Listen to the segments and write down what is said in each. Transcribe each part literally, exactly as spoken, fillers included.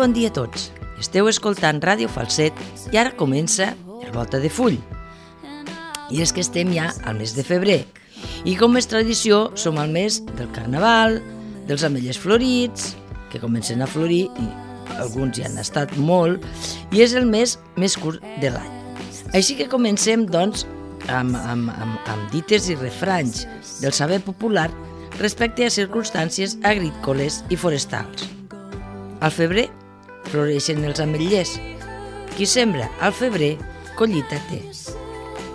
bon dia a tots. Esteu escoltant Ràdio Falset i ara comença el Volta de Full. I és que estem ja al mes de febrer. I com és tradició, som al mes del Carnaval, dels ametllers florits, que comencen a florir, i alguns ja han estat molt, i és el mes més curt de l'any. Així que comencem, doncs, amb, amb, amb, amb dites i refranys del saber popular respecte a circumstàncies agrícoles i forestals. Al febrer floreixen els ametllers. Qui sembra al febrer, collita té.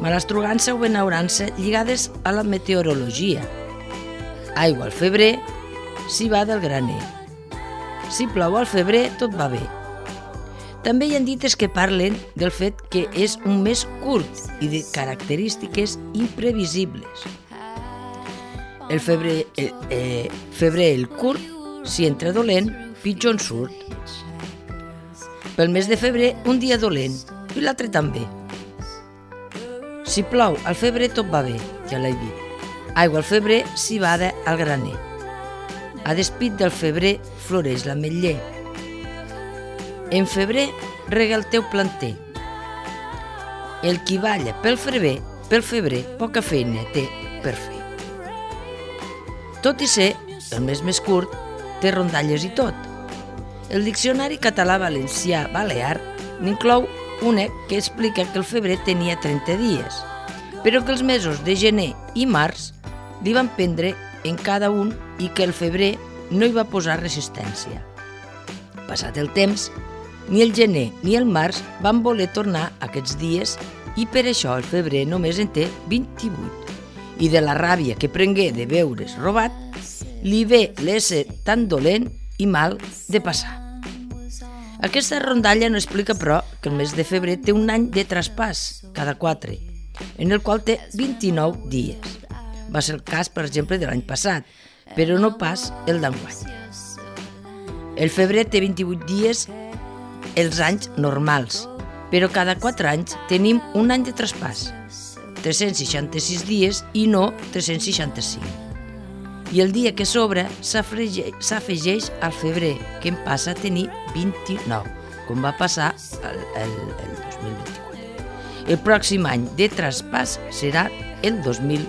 Malastrugança o benaurança lligades a la meteorologia. Aigua al febrer, si va del graner. Si plou al febrer, tot va bé. També hi ha dites que parlen del fet que és un mes curt i de característiques imprevisibles. El febrer, eh, eh, febrer el curt, si entra dolent, pitjor en surt. Pel mes de febrer, un dia dolent, i l'altre també. Si plou al febrer, tot va bé, ja l'he dit. Aigua al febrer, si bada al graner. A despit del febrer, floreix l'ametller. En febrer, rega el teu planter. El qui balla pel febrer, pel febrer, poca feina té per fer. Tot i ser el mes més curt, té rondalles i tot. El diccionari català-valencià-balear n'inclou una que explica que el febrer tenia trenta dies, però que els mesos de gener i març li van prendre en cada un i que el febrer no hi va posar resistència. Passat el temps, ni el gener ni el març van voler tornar aquests dies i per això el febrer només en té vint-i-vuit. I de la ràbia que prengué de veure's robat, li ve l'ésser tan dolent i mal de passar. Aquesta rondalla no explica, però, que el mes de febrer té un any de traspàs, cada quatre, en el qual té vint-i-nou dies. Va ser el cas, per exemple, de l'any passat, però no pas el d'enguany. El febrer té vint-i-vuit dies els anys normals, però cada quatre anys tenim un any de traspàs, tres-cents seixanta-sis dies i no tres-cents seixanta-cinc. I el dia que sobra s'afegeix al febrer, que en passa a tenir vint-i-nou, com va passar el, el, el dos mil vint-i-quatre. El pròxim any de traspàs serà el dos mil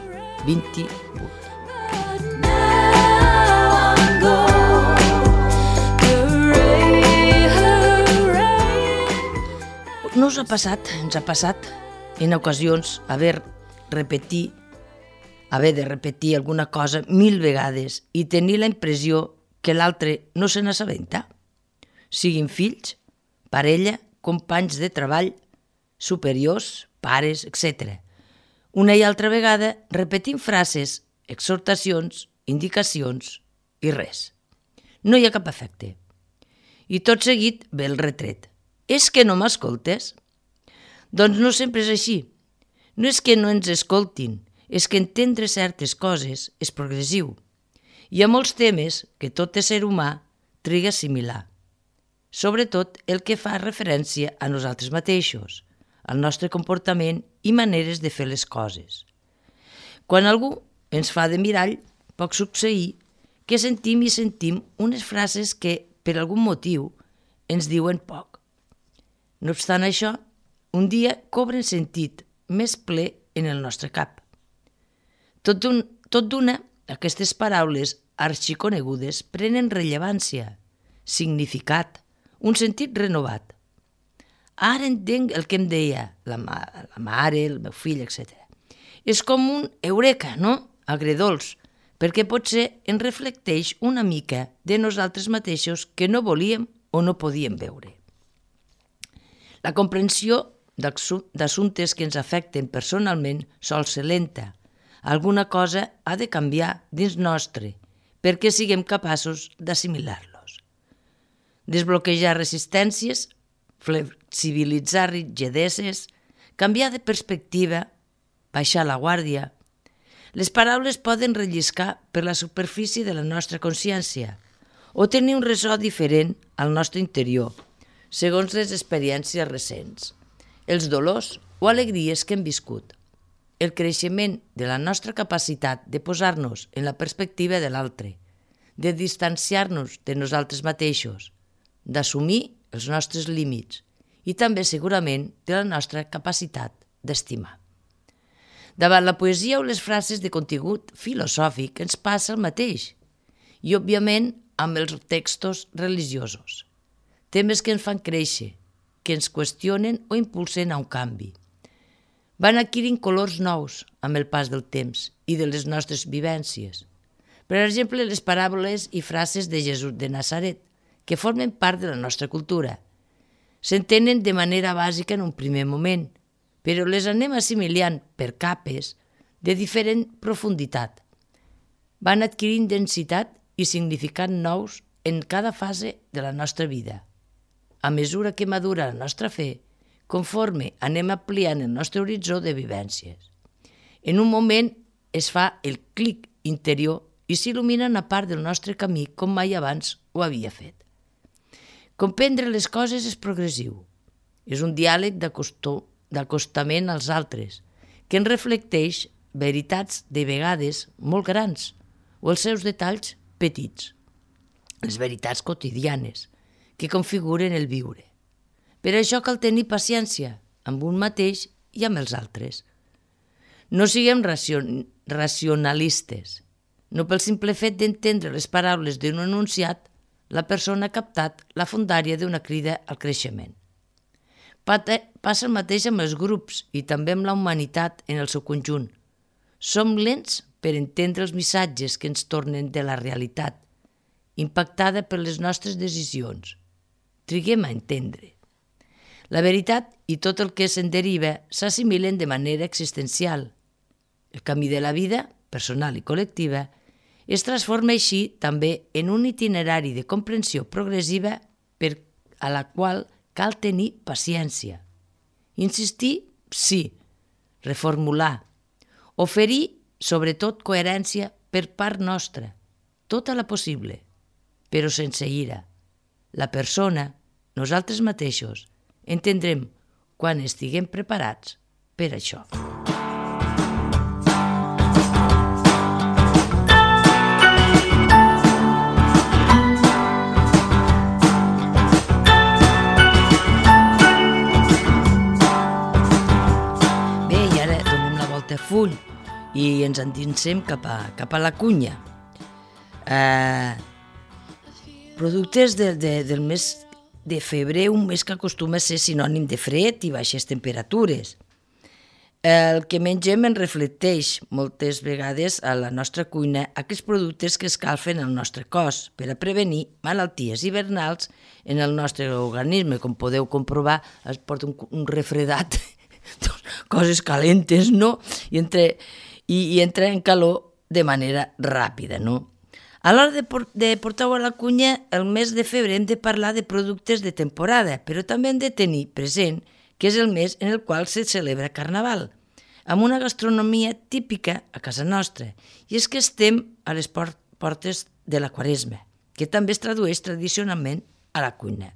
vint-i-vuit. No us ha passat, ens ha passat en ocasions haver repetir haver de repetir alguna cosa mil vegades i tenir la impressió que l'altre no se n'assabenta? Siguin fills, parella, companys de treball, superiors, pares, etcètera. Una i altra vegada repetim frases, exhortacions, indicacions i res. No hi ha cap efecte. I tot seguit ve el retret. És que no m'escoltes? Doncs no sempre és així. No és que no ens escoltin, és que entendre certes coses és progressiu. Hi ha molts temes que tot ésser humà triga a assimilar. Sobretot el que fa referència a nosaltres mateixos, al nostre comportament i maneres de fer les coses. Quan algú ens fa de mirall, pot succeir que sentim i sentim unes frases que, per algun motiu, ens diuen poc. No obstant això, un dia cobren sentit més ple en el nostre cap. Tot d'una, aquestes paraules arxiconegudes prenen rellevància, significat, un sentit renovat. Ara entenc el que em deia la, ma la mare, el meu fill, etcètera. És com un eureka, no? Agredolç, perquè potser ens reflecteix una mica de nosaltres mateixos que no volíem o no podíem veure. La comprensió d'assumptes que ens afecten personalment sol ser lenta. Alguna cosa ha de canviar dins nostre perquè siguem capaços d'assimilar-los. Desbloquejar resistències, flexibilitzar rigideses, canviar de perspectiva, baixar la guàrdia. Les paraules poden relliscar per la superfície de la nostra consciència o tenir un ressò diferent al nostre interior, segons les experiències recents, els dolors o alegries que hem viscut. El creixement de la nostra capacitat de posar-nos en la perspectiva de l'altre, de distanciar-nos de nosaltres mateixos, d'assumir els nostres límits i també segurament de la nostra capacitat d'estimar. Davant la poesia o les frases de contingut filosòfic ens passa el mateix, i òbviament amb els textos religiosos. Temes que ens fan créixer, que ens qüestionen o impulsen a un canvi. Van adquirint colors nous amb el pas del temps i de les nostres vivències. Per exemple, les paràboles i frases de Jesús de Nazaret, que formen part de la nostra cultura. S'entenen de manera bàsica en un primer moment, però les anem assimilant per capes de diferent profunditat. Van adquirint densitat i significat nous en cada fase de la nostra vida. A mesura que madura la nostra fe, conforme anem ampliant el nostre horitzó de vivències. En un moment es fa el clic interior i s'il·lumina una part del nostre camí com mai abans ho havia fet. Comprendre les coses és progressiu. És un diàleg d'acostament als altres, que ens reflecteix veritats de vegades molt grans o els seus detalls petits, les veritats quotidianes que configuren el viure. Per això cal tenir paciència amb un mateix i amb els altres. No siguem racion- racionalistes. No pel simple fet d'entendre les paraules d'un enunciat, la persona ha captat la fondària d'una crida al creixement. Passa el mateix amb els grups i també amb la humanitat en el seu conjunt. Som lents per entendre els missatges que ens tornen de la realitat, impactada per les nostres decisions. Triguem a entendre. La veritat i tot el que se'n deriva s'assimilen de manera existencial. El camí de la vida, personal i col·lectiva, es transforma així també en un itinerari de comprensió progressiva per a la qual cal tenir paciència. Insistir, sí. Reformular. Oferir, sobretot, coherència per part nostra, tota la possible, però sense ira. La persona, nosaltres mateixos, entendrem quan estiguem preparats per això. Bé, i ara donem la volta a full i ens endinsem cap a, cap a la cunya. Eh, productes de, de, del mes de febrer, un mes que acostuma a ser sinònim de fred i baixes temperatures. El que mengem en reflecteix moltes vegades a la nostra cuina aquests productes que escalfen el nostre cos per a prevenir malalties hivernals en el nostre organisme. Com podeu comprovar, es porta un, un refredat, coses calentes, no? I, entre, i, i entra en calor de manera ràpida, no? A l'hora de, por de portar-ho a la cunya, el mes de febrer hem de parlar de productes de temporada, però també hem de tenir present que és el mes en el qual se celebra Carnaval, amb una gastronomia típica a casa nostra, i és que estem a les portes de la Quaresma, que també es tradueix tradicionalment a la cuina.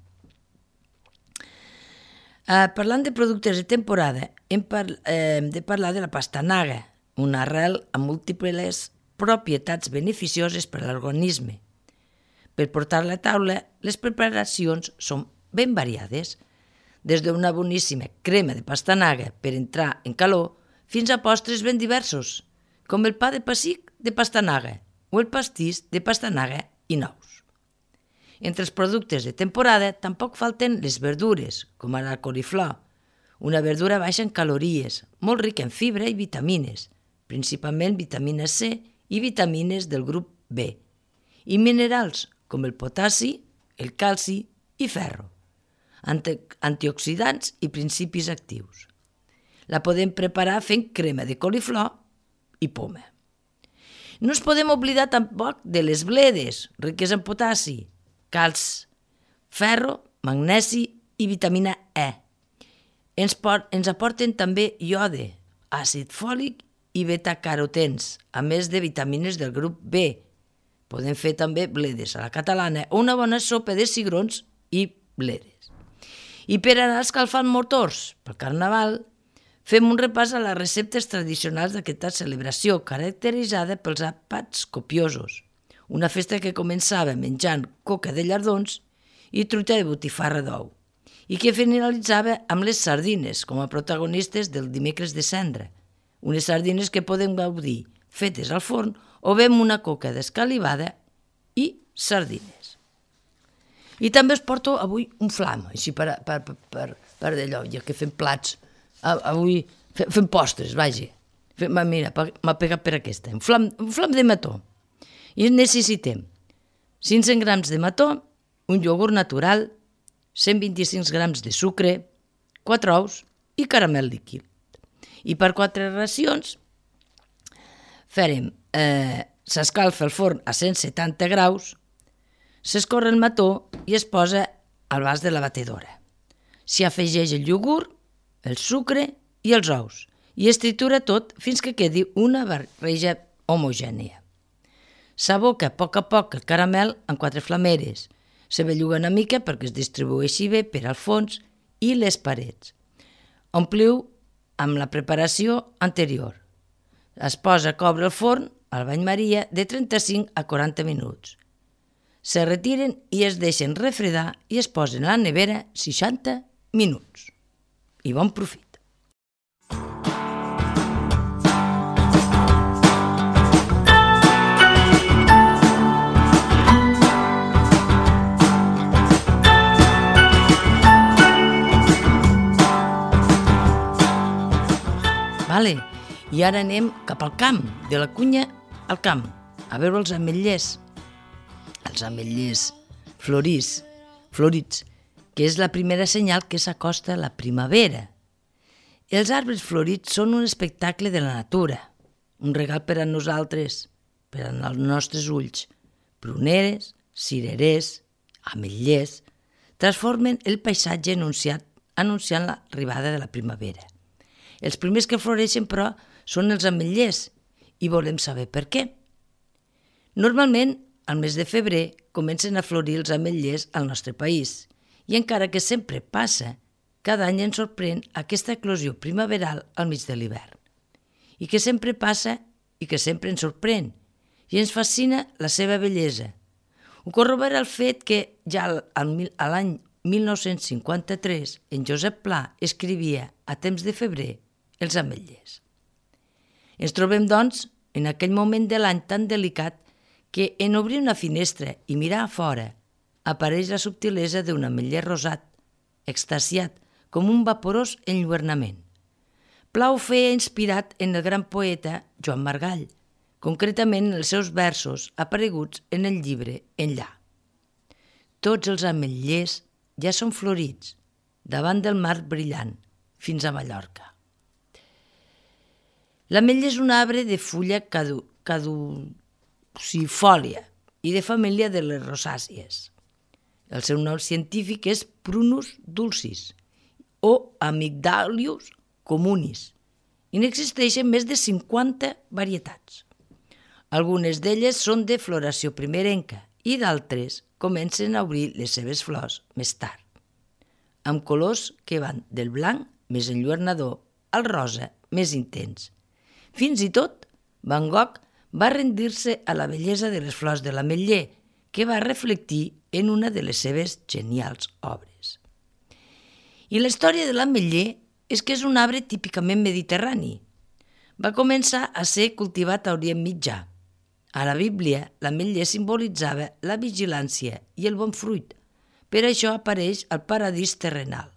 Eh, parlant de productes de temporada, hem, par eh, hem de parlar de la pastanaga, una arrel amb múltiples propietats beneficioses per a l'organisme. Per portar a la taula, les preparacions són ben variades, des d'una boníssima crema de pastanaga per entrar en calor fins a postres ben diversos, com el pa de pessic de pastanaga o el pastís de pastanaga i nous. Entre els productes de temporada tampoc falten les verdures, com ara la coliflor, una verdura baixa en calories, molt rica en fibra i vitamines, principalment vitamina C i vitamines del grup B, i minerals com el potassi, el calci i ferro, anti antioxidants i principis actius. La podem preparar fent crema de coliflor i poma. No ens podem oblidar tampoc de les bledes, riques en potassi, calç, ferro, magnesi i vitamina E. Ens, ens aporten també iode, àcid fòlic i betacarotens, a més de vitamines del grup B. Podem fer també bledes a la catalana o una bona sopa de cigrons i bledes. I per anar escalfant motors pel Carnaval, fem un repàs a les receptes tradicionals d'aquesta celebració, caracteritzada pels àpats copiosos, una festa que començava menjant coca de llardons i truita de botifarra d'ou, i que finalitzava amb les sardines com a protagonistes del dimecres de cendra, unes sardines que podem gaudir fetes al forn o bé amb una coca d'escalivada i sardines. I també us porto avui un flam, així per, per, per, per, per d'allò, ja que fem plats, avui fem postres, vaja. Mira, m'ha pegat per aquesta, un flam, un flam de mató. I necessitem cinc-cents grams de mató, un iogurt natural, cent vint-i-cinc grams de sucre, quatre ous i caramel líquid. I per quatre racions farem, eh, s'escalfa el forn a cent setanta graus, s'escorre el mató i es posa al vas de la batedora. S'hi afegeix el iogurt, el sucre i els ous i es tritura tot fins que quedi una barreja homogènia. S'aboca a poc a poc el caramel en quatre flameres, se belluga una mica perquè es distribueixi bé per al fons i les parets. Ompliu amb la preparació anterior. Es posa a coure el forn al bany maria de trenta-cinc a quaranta minuts. Se retiren i es deixen refredar i es posen a la nevera seixanta minuts. I bon profit! Vale. I ara anem cap al camp, de la cunya al camp, a veure els ametllers. Els ametllers florits, florits, que és la primera senyal que s'acosta a la primavera. Els arbres florits són un espectacle de la natura, un regal per a nosaltres, per als nostres ulls. Pruneres, cirerers, ametllers, transformen el paisatge anunciat, anunciant l'arribada de la primavera. Els primers que floreixen, però, són els ametllers i volem saber per què. Normalment, al mes de febrer, comencen a florir els ametllers al nostre país i encara que sempre passa, cada any ens sorprèn aquesta eclosió primaveral al mig de l'hivern. I que sempre passa i que sempre ens sorprèn i ens fascina la seva bellesa. Ho corrobora el fet que ja a l'any mil nou-cents cinquanta-tres en Josep Pla escrivia a temps de febrer els ametllers. Ens trobem, doncs, en aquell moment de l'any tan delicat que en obrir una finestra i mirar a fora apareix la subtilesa d'un ametller rosat, extasiat, com un vaporós enlluernament. Pla ho feia inspirat en el gran poeta Joan Margall, concretament en els seus versos apareguts en el llibre Enllà. Tots els ametllers ja són florits, davant del mar brillant, fins a Mallorca. L'ametller és un arbre de fulla cadu, caducifòlia i de família de les rosàcies. El seu nom científic és Prunus dulcis o Amygdalius communis i n'existeixen més de cinquanta varietats. Algunes d'elles són de floració primerenca i d'altres comencen a obrir les seves flors més tard, amb colors que van del blanc més enlluernador al rosa més intens. Fins i tot, Van Gogh va rendir-se a la bellesa de les flors de l'ametller, que va reflectir en una de les seves genials obres. I la història de l'ametller és que és un arbre típicament mediterrani. Va començar a ser cultivat a Orient Mitjà. A la Bíblia, l'ametller simbolitzava la vigilància i el bon fruit. Per això apareix al paradís terrenal.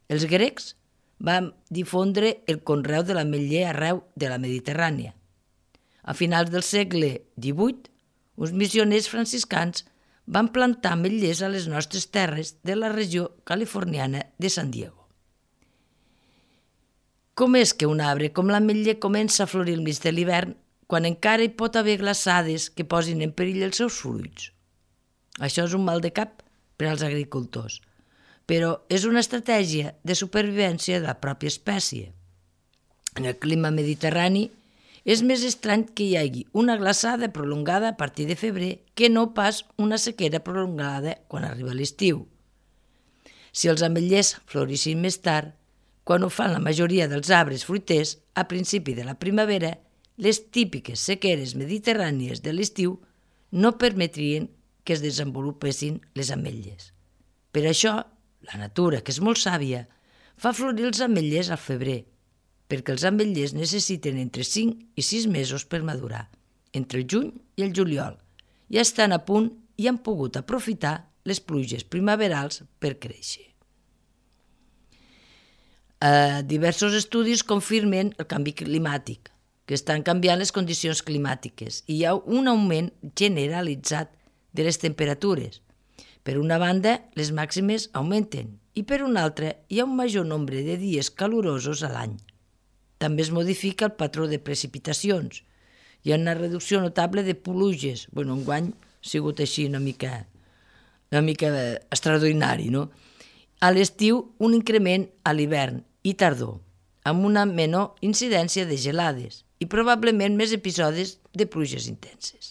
Els grecs van difondre el conreu de l'ametller arreu de la Mediterrània. A finals del segle divuit, uns missioners franciscans van plantar ametllers a les nostres terres de la regió californiana de San Diego. Com és que un arbre com l'ametller comença a florir al mig de l'hivern quan encara hi pot haver glaçades que posin en perill els seus fruits? Això és un mal de cap per als agricultors, però és una estratègia de supervivència de la pròpia espècie. En el clima mediterrani és més estrany que hi hagi una glaçada prolongada a partir de febrer que no pas una sequera prolongada quan arriba l'estiu. Si els ametllers florissin més tard, quan ho fan la majoria dels arbres fruiters, a principi de la primavera, les típiques sequeres mediterrànies de l'estiu no permetrien que es desenvolupessin les ametlles. Per això, la natura, que és molt sàvia, fa florir els ametllers al febrer, perquè els ametllers necessiten entre cinc i sis mesos per madurar, entre el juny i el juliol, i estan a punt i han pogut aprofitar les pluges primaverals per créixer. Eh, diversos estudis confirmen el canvi climàtic, que estan canviant les condicions climàtiques i hi ha un augment generalitzat de les temperatures. Per una banda, les màximes augmenten i per una altra hi ha un major nombre de dies calorosos a l'any. També es modifica el patró de precipitacions. Hi ha una reducció notable de pluges. Bueno, enguany ha sigut així una mica, una mica extraordinari, no? A l'estiu, un increment a l'hivern i tardor, amb una menor incidència de gelades i probablement més episodis de pluges intenses.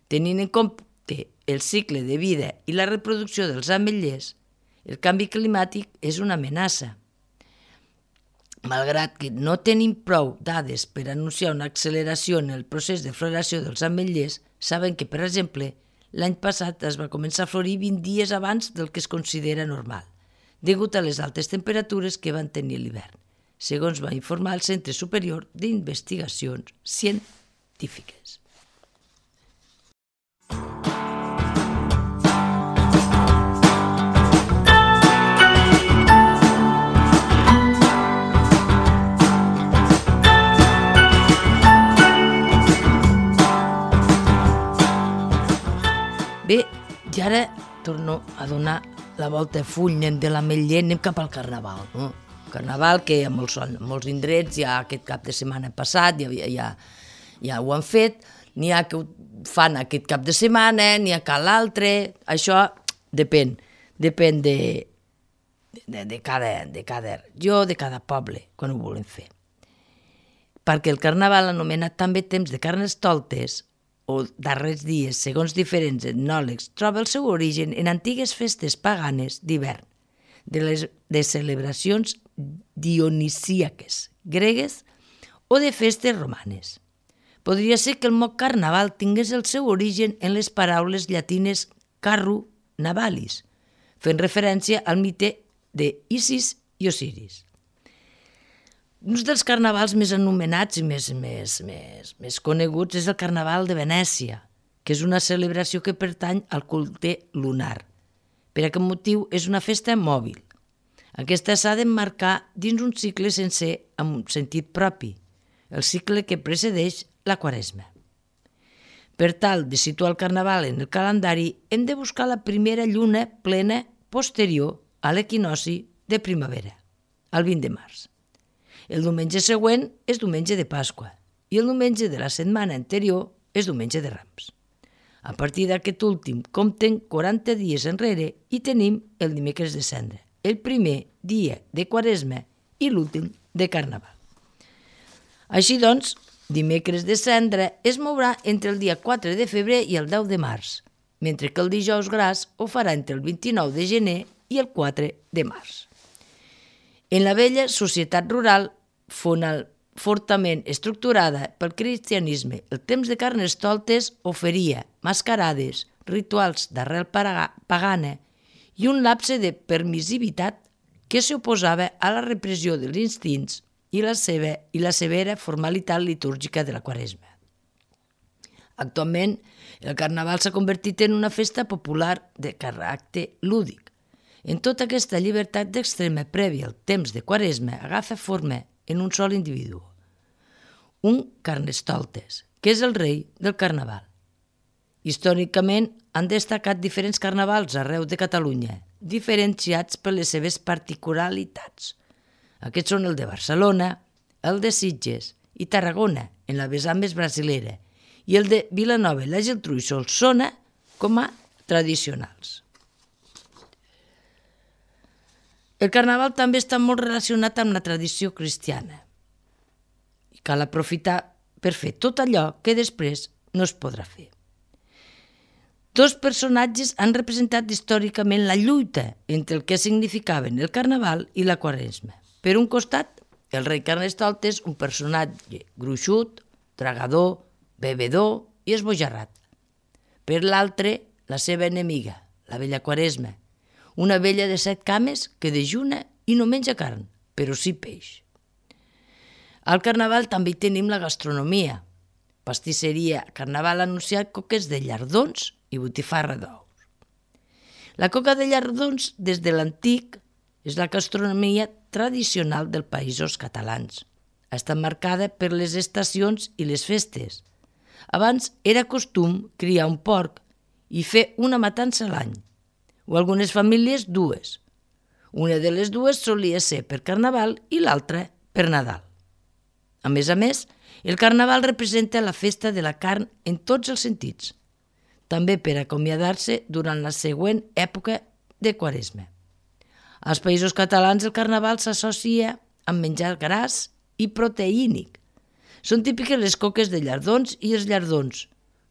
Tenint en compte el cicle de vida i la reproducció dels ametllers, el canvi climàtic és una amenaça. Malgrat que no tenim prou dades per anunciar una acceleració en el procés de floració dels ametllers, saben que, per exemple, l'any passat es va començar a florir vint dies abans del que es considera normal, degut a les altes temperatures que van tenir l'hivern, segons va informar el Centre Superior d'Investigacions Científiques. Bé, i ara torno a donar la volta a full, anem de l'ametller, anem cap al Carnaval. No? Carnaval que a molts, molts indrets ja aquest cap de setmana passat ja, ja, ja ho han fet, n'hi ha que ho fan aquest cap de setmana, n'hi ha que l'altre, això depèn, depèn de, de, de, cada, de cada regió, de cada poble, quan ho volen fer. Perquè el Carnaval, anomenat també temps de Carnestoltes, o darrers dies, segons diferents etnòlegs, troba el seu origen en antigues festes paganes d'hivern, de les de celebracions dionisíaques, gregues o de festes romanes. Podria ser que el mot carnaval tingués el seu origen en les paraules llatines carru navalis, fent referència al mite d'Isis i Osiris. Un dels carnavals més anomenats i més, més, més, més coneguts és el Carnaval de Venècia, que és una celebració que pertany al culte lunar. Per aquest motiu és una festa mòbil. Aquesta s'ha d'emmarcar dins un cicle sencer amb un sentit propi, el cicle que precedeix la Quaresma. Per tal de situar el Carnaval en el calendari, hem de buscar la primera lluna plena posterior a l'equinoci de primavera, el vint de març. El diumenge següent és diumenge de Pasqua i el diumenge de la setmana anterior és diumenge de Rams. A partir d'aquest últim compten quaranta dies enrere i tenim el dimecres de Cendra, el primer dia de Quaresma i l'últim de Carnaval. Així doncs, dimecres de Cendra es mourà entre el dia quatre de febrer i el deu de març, mentre que el dijous gras ho farà entre el vint-i-nou de gener i el quatre de març. En la vella societat rural, fortament estructurada pel cristianisme, el temps de Carnestoltes oferia mascarades, rituals d'arrel pagana i un lapse de permissivitat que s'oposava a la repressió dels instints i la, seva, i la severa formalitat litúrgica de la Quaresma. Actualment, el Carnaval s'ha convertit en una festa popular de caràcter lúdic. En tota aquesta llibertat d'extrema prèvia al temps de Quaresma agafa forma en un sol individu, un Carnestoltes, que és el rei del Carnaval. Històricament han destacat diferents carnavals arreu de Catalunya, diferenciats per les seves particularitats. Aquests són el de Barcelona, el de Sitges i Tarragona, en la vessant més brasilera, i el de Vilanova, la Geltrú i Solsona com a tradicionals. El Carnaval també està molt relacionat amb la tradició cristiana i cal aprofitar per fer tot allò que després no es podrà fer. Dos personatges han representat històricament la lluita entre el que significaven el Carnaval i la Quaresma. Per un costat, el rei Carnestoltes, un personatge gruixut, tragador, bebedor i esbojarrat. Per l'altre, la seva enemiga, la vella Quaresma, una vella de set cames que dejuna i no menja carn, però sí peix. Al Carnaval també hi tenim la gastronomia. Pastisseria Carnaval ha anunciat coques de llardons i botifarra d'ous. La coca de llardons, des de l'antic, és la gastronomia tradicional dels països catalans. Ha estat marcada per les estacions i les festes. Abans era costum criar un porc i fer una matança a l'any, o algunes famílies dues. Una de les dues solia ser per Carnaval i l'altra per Nadal. A més a més, el Carnaval representa la festa de la carn en tots els sentits, també per acomiadar-se durant la següent època de Quaresma. Als països catalans el Carnaval s'associa amb menjar gras i proteínic. Són típiques les coques de llardons i els llardons,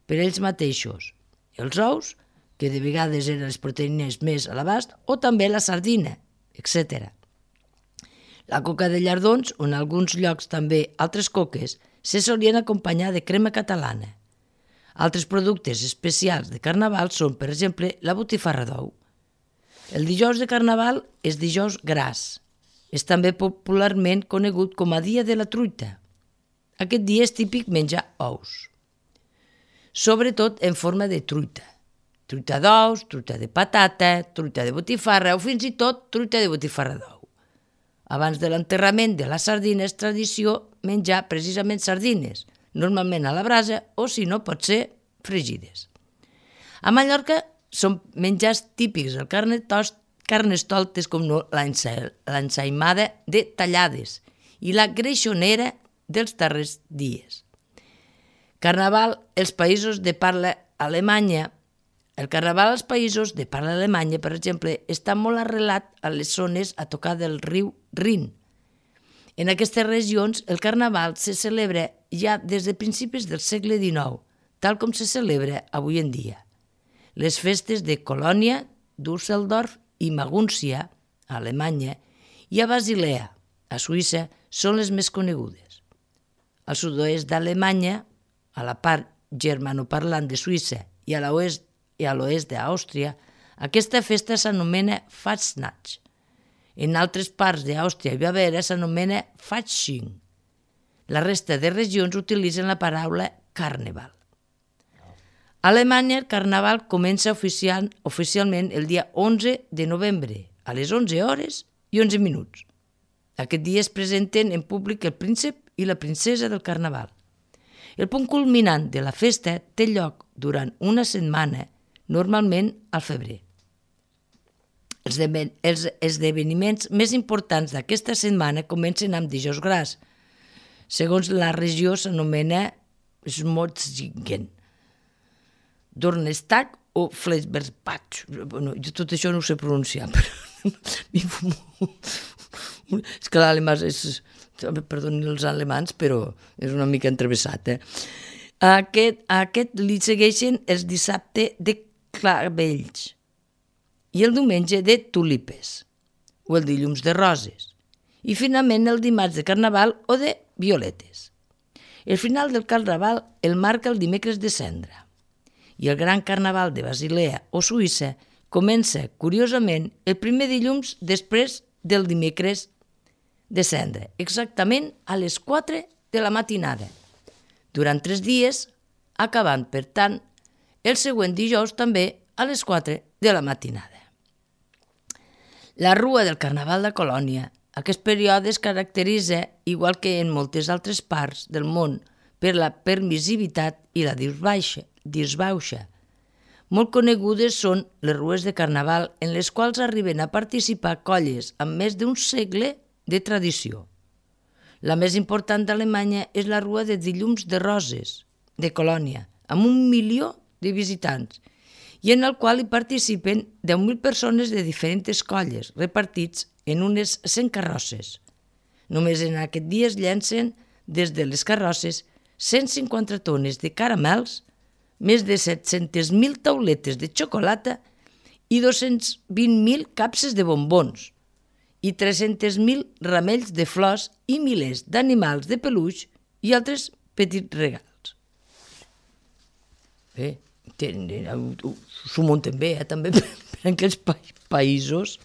per ells mateixos, els ous, que de vegades eren les proteïnes més a l'abast, o també la sardina, etcètera. La coca de llardons, o en alguns llocs també altres coques, se solien acompanyar de crema catalana. Altres productes especials de Carnaval són, per exemple, la botifarra d'ou. El dijous de Carnaval és dijous gras. És també popularment conegut com a dia de la truita. Aquest dia és típic menjar ous, sobretot en forma de truita. Truita d'ous, truita de patata, truita de botifarra o fins i tot truita de botifarra d'ou. Abans de l'enterrament de la sardina és tradició menjar precisament sardines, normalment a la brasa o, si no, pot ser fregides. A Mallorca són menjars típics el carnestoltes com no l'ensaïmada de tallades i la greixonera dels darrers dies. Carnaval els països de parla alemanya. El Carnaval als països de parla alemanya, per exemple, està molt arrelat a les zones a tocar del riu Rin. En aquestes regions, el Carnaval se celebra ja des de principis del segle dinou, tal com se celebra avui en dia. Les festes de Colònia, Düsseldorf i Magúncia, a Alemanya, i a Basilea, a Suïssa, són les més conegudes. Al sud-oest d'Alemanya, a la part germanoparlant de Suïssa i a l'oest i a l'oest d'Àustria, aquesta festa s'anomena Fastnacht. En altres parts d'Àustria i Baviera s'anomena Fasching. La resta de regions utilitzen la paraula Carnaval. A Alemanya el Carnaval comença oficial, oficialment el dia onze de novembre, a les onze hores i onze minuts. Aquest dia es presenten en públic el príncep i la princesa del Carnaval. El punt culminant de la festa té lloc durant una setmana, normalment al febrer. Els esdeveniments més importants d'aquesta setmana comencen amb dijous gras. Segons la regió s'anomena Smotzingen, Donnerstag o Flesberspatch. Bueno, jo tot això no ho sé pronunciar, però és que l'alemà és... Perdoni els alemans, però és una mica entrevessat. Eh? Aquest, aquest li segueixen els dissabte de clavells i el diumenge de tulipes o el dilluns de roses i finalment el dimarts de Carnaval o de violetes. El final del Carnaval el marca el dimecres de Cendra i el gran Carnaval de Basilea o Suïssa comença, curiosament, el primer dilluns després del dimecres de Cendra, exactament a les quatre de la matinada, durant tres dies, acabant, per tant, el següent dijous també a les quatre de la matinada. La Rua del Carnaval de Colònia. Aquest període es caracteritza, igual que en moltes altres parts del món, per la permissivitat i la disbauxa. Molt conegudes són les rues de Carnaval en les quals arriben a participar colles amb més d'un segle de tradició. La més important d'Alemanya és la Rua de Dilluns de Roses, de Colònia, amb un milió de visitants, i en el qual hi participen deu mil persones de diferents colles, repartits en unes cent carrosses. Només en aquest dia es llencen des de les carrosses cent cinquanta tones de caramels, més de set-centes mil tauletes de xocolata i dos-cents vint mil capses de bombons, i tres-cents mil ramells de flors i milers d'animals de peluix i altres petits regals. Bé, s'ho munten bé, eh, també, per aquells pa països.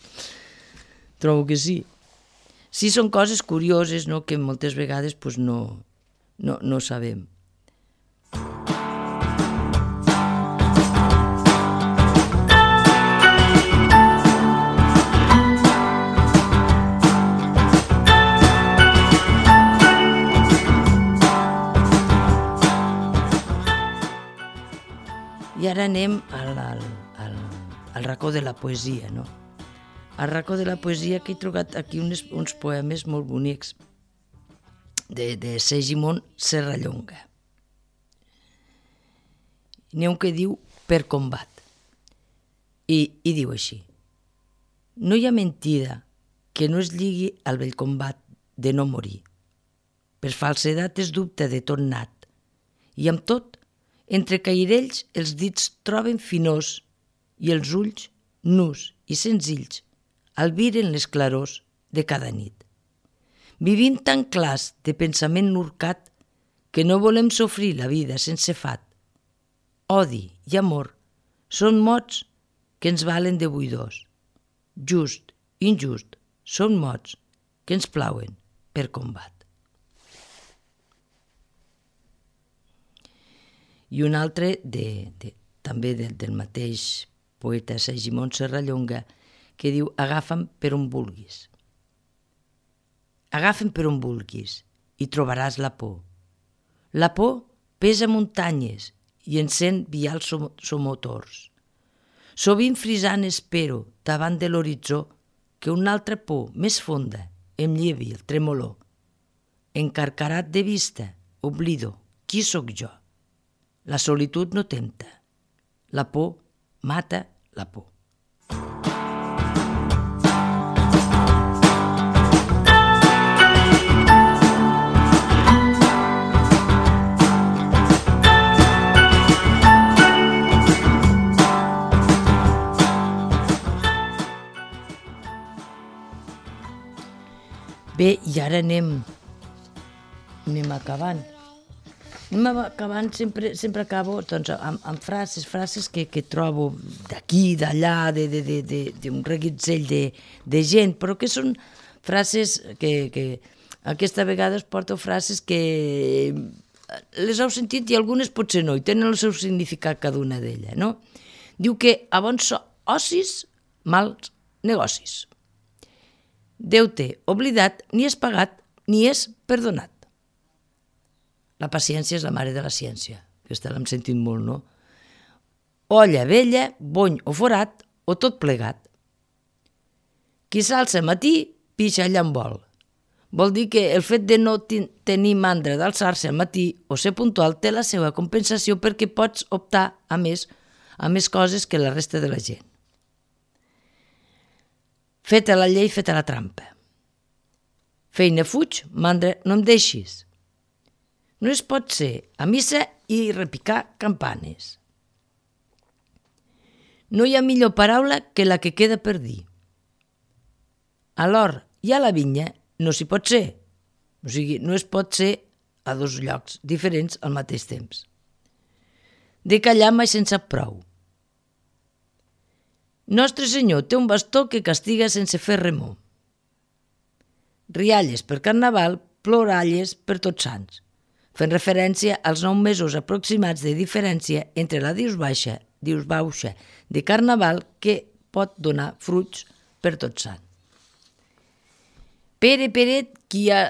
Trobo que sí. Sí, són coses curioses, no?, que moltes vegades pues, no, no, no sabem. I ara anem al, al, al, al racó de la poesia, no? Al racó de la poesia que he trobat aquí uns, uns poemes molt bonics de, de Segimon Serrallonga. N'hi ha un que diu Per combat. I, I diu així: no hi ha mentida que no es lligui al vell combat de no morir. Per falsedat es dubte de tot nat, i amb tot, entre cairells els dits troben finors i els ulls, nus i senzills, albiren les clarors de cada nit. Vivim tan clars de pensament nurcat que no volem sofrir la vida sense fat. Odi i amor són mots que ens valen de buidors. Just, injust, són mots que ens plauen per combat. I un altre, de, de, també del, del mateix poeta Segimon Serrallonga, que diu agafa'm per on vulguis. Agafa'm per on vulguis i trobaràs la por. La por pesa muntanyes i encén vials somotors. Sovint frisant espero davant de l'horitzó que una altra por més fonda em llevi el tremolor. Encarcarat de vista, oblido qui sóc jo. La solitud no tempta. La por mata la por. Bé, i ara anem, anem acabant. Anem acabant, sempre, sempre acabo doncs, amb, amb frases, frases que, que trobo d'aquí, d'allà, d'un reguitzell de, de gent, però que són frases que, que aquesta vegada es porto frases que les heu sentit i algunes potser no, i tenen el seu significat cada una d'elles, no? Diu que a bons ocis, mals negocis. Deute oblidat ni és pagat ni és perdonat. La paciència és la mare de la ciència. Aquesta l'hem sentit molt, no? Olla vella, bony o forat, o tot plegat. Qui s'alça matí, pixa allà on vol. Vol dir que el fet de no tenir mandra d'alçar-se al matí o ser puntual té la seva compensació perquè pots optar a més, a més coses que la resta de la gent. Feta la llei, feta la trampa. Feina fuig, mandra no em deixis. No es pot ser a missa i repicar campanes. No hi ha millor paraula que la que queda per dir. A l'hort i a la vinya no s'hi pot ser. O sigui, no es pot ser a dos llocs diferents al mateix temps. De callar mai se'n sap prou. Nostre Senyor té un bastó que castiga sense fer remor. Rialles per Carnaval, ploralles per Tots Sants, fent referència als nou mesos aproximats de diferència entre la dius baixa, dius baixa de Carnaval que pot donar fruits per Tots Sants. Pere, Peret, qui hi ha,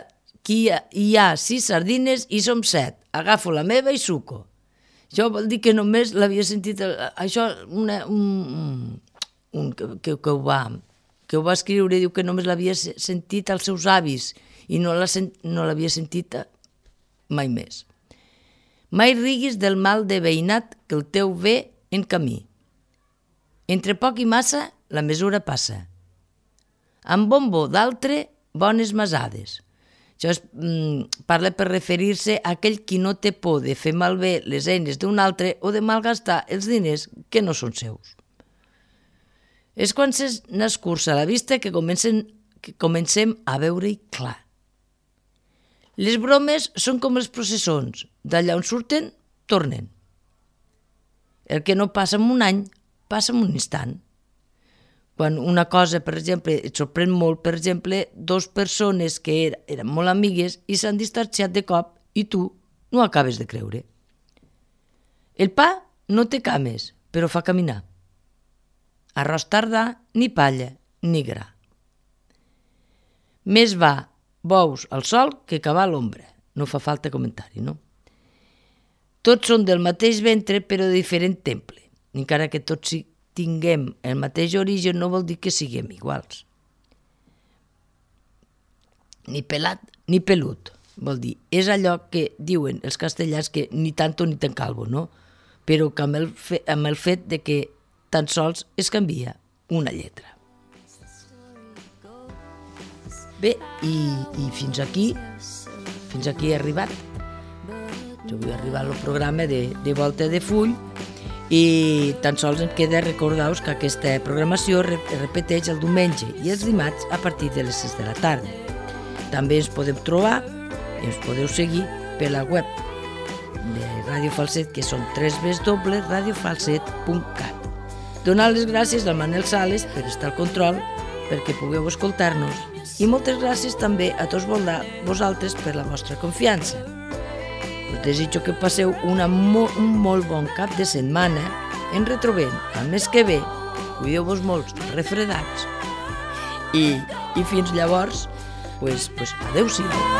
qui hi ha, hi ha sis sardines i som set, agafo la meva i suco. Això vol dir que només l'havia sentit, això una, un, un, que, que, que, ho va, que ho va escriure, diu que només l'havia sentit als seus avis i no l'havia sentit mai més. Mai riguis del mal de veïnat que el teu ve en camí. Entre poc i massa, la mesura passa. Amb bombo d'altre, bones masades. Això es, mm, parla per referir-se a aquell qui no té por de fer malbé les eines d'un altre o de malgastar els diners que no són seus. És quan n'escurça la vista que, comencen, que comencem a veure-hi clar. Les bromes són com els processons, d'allà on surten, tornen. El que no passa en un any, passa en un instant. Quan una cosa, per exemple, et sorprèn molt, per exemple, dos persones que er, eren molt amigues i s'han distanciat de cop i tu no acabes de creure. El pa no té cames, però fa caminar. Arròs tardà, ni palla, ni gra. Més va bous al sol que cavar a l'ombra. No fa falta comentari, no? Tots són del mateix ventre, però de diferent temple. Encara que tots tinguem el mateix origen, no vol dir que siguem iguals. Ni pelat ni pelut, vol dir, és allò que diuen els castellans que ni tanto ni tan calvo, no? Però que amb el, fe, amb el fet de que tan sols es canvia una lletra. Bé, i, i fins aquí, fins aquí he arribat. Jo vull arribar al programa de, de Volta de Full i tan sols em queda recordar-vos que aquesta programació es repeteix el diumenge i els dimarts a partir de les sis de la tarda. També ens podeu trobar i ens podeu seguir per la web de Ràdio Falset, que són w w w punt radio falset punt cat. Donar les gràcies al Manel Sales per estar al control, perquè pugueu escoltar-nos, i moltes gràcies també a tots vosaltres per la vostra confiança. Us desitjo que passeu una mo un molt bon cap de setmana. Ens retrobem el mes que ve. Cuideu-vos molt refredats. I, i fins llavors, pues, pues adeu-siau.